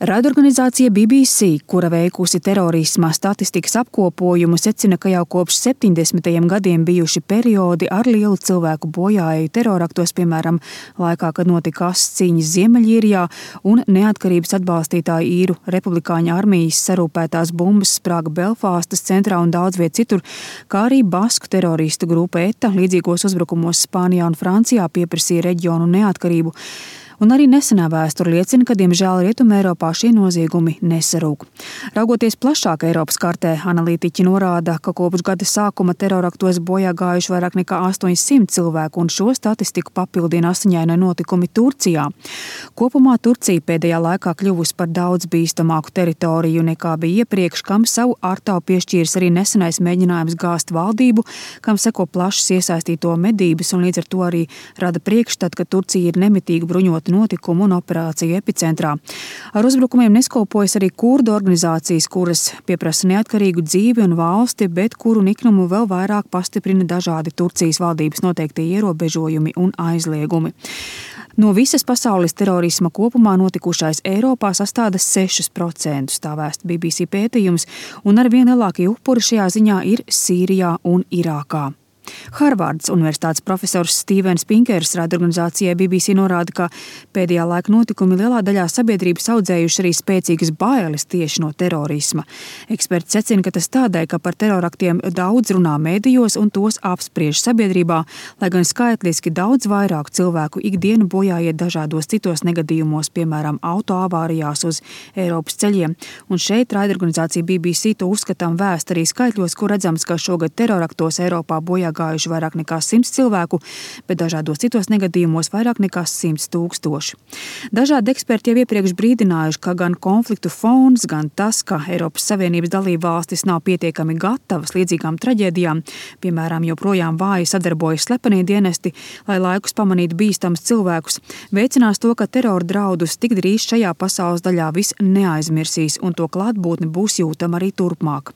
Raidorganizācija BBC, kura veikusi terorisma statistikas apkopojumu, secina, ka jau kopš 70. gadiem bijuši periodi ar lielu cilvēku bojāēju teroraktos, piemēram, laikā, kad notika asas cīņas Ziemeļīrijā un neatkarības atbalstītāju īru republikāņu armijas sarūpētās bumbas sprāga Belfastas centrā un daudz viet citur, kā arī basku teroristu grupa ETA līdzīgos uzbrukumos Spānijā un Francijā pieprasīja reģionu neatkarību. Un arī nesenā vēsture liecina, ka, diemžēl, Rietumē Eiropā šie noziegumi nesarūk. Raugoties plašāk Eiropas kartē, analītiķi norāda, ka kopš gada sākuma teroraktos bojā gājuši vairāk nekā 800 cilvēku, un šo statistiku papildina asiņaini notikumi Turcijā. Kopumā Turcija pēdējā laikā kļuvusi par daudz bīstamāku teritoriju nekā bija iepriekš, kam savu ārtavu piešķīris arī nesenais mēģinājums gāzt valdību, kam seko plašas iesaistīto medības, un līdz ar to arī rada priekšstatu, ka Turcija ir nemitīgi bruņota notikumu un operāciju epicentrā. Ar uzbrukumiem neskopojas arī kurdu organizācijas, kuras pieprasa neatkarīgu dzīvi un valsti, bet kuru niknumu vēl vairāk pastiprina dažādi Turcijas valdības noteiktie ierobežojumi un aizliegumi. No visas pasaules terorisma kopumā notikušais Eiropā sastāda 6%, tā vēsta BBC pētījums, un ar vien lielākie upuri šajā ziņā ir Sīrijā un Irākā. Harvardas universitātes profesors Stīvens Pinkers raidorganizācijai BBC norāda, ka pēdējā laika notikumi lielā daļā sabiedrības audzējuši arī spēcīgas bailes tieši no terorisma. Eksperti secina, ka tas tādēļ, ka par teroraktiem daudz runā mēdījos un tos apspriež sabiedrībā, lai gan skaitliski daudz vairāk cilvēku ikdienu bojāiet dažādos citos negadījumos, piemēram, autoavārijās uz Eiropas ceļiem. Un šeit raidorganizācija BBC to uzskatām vēst arī skaitļos, kur redzams, ka šogad teroraktos Eiropā bojā gājuši vairāk nekā 100 cilvēku, bet dažādos citos negadījumos vairāk nekā 100 000. Dažādi eksperti jau iepriekš brīdinājuši, ka gan konfliktu fons, gan tas, ka Eiropas Savienības dalībvalstis nav pietiekami gatavas līdzīgām traģēdijām, piemēram, joprojām vāji sadarbojas slepenie dienesti, lai laikus pamanītu bīstamus cilvēkus, veicinās to, ka terora draudus tik drīz šajā pasaules daļā viss neaizmirsīs un to klātbūtne būs jūtama arī turpmāk.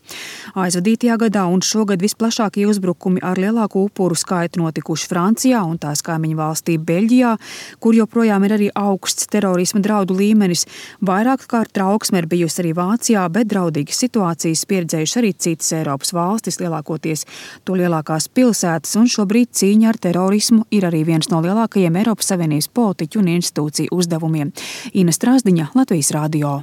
Aizvadītajā gadā un šogad visplašākie uzbrukumi ar lielāku upuru skaitu notikuši Francijā un tās kaimiņu valstī Beļģijā, kur joprojām ir arī augsts terorisma draudu līmenis. Vairāk kārt trauksme ir bijusi arī Vācijā, bet draudīgas situācijas pieredzējuši arī citas Eiropas valstis, lielākoties to lielākās pilsētas, un šobrīd cīņa ar terorismu ir arī viens no lielākajiem Eiropas Savienības politiķu un institūciju uzdevumiem. Ina Strāzdiņa, Latvijas radio.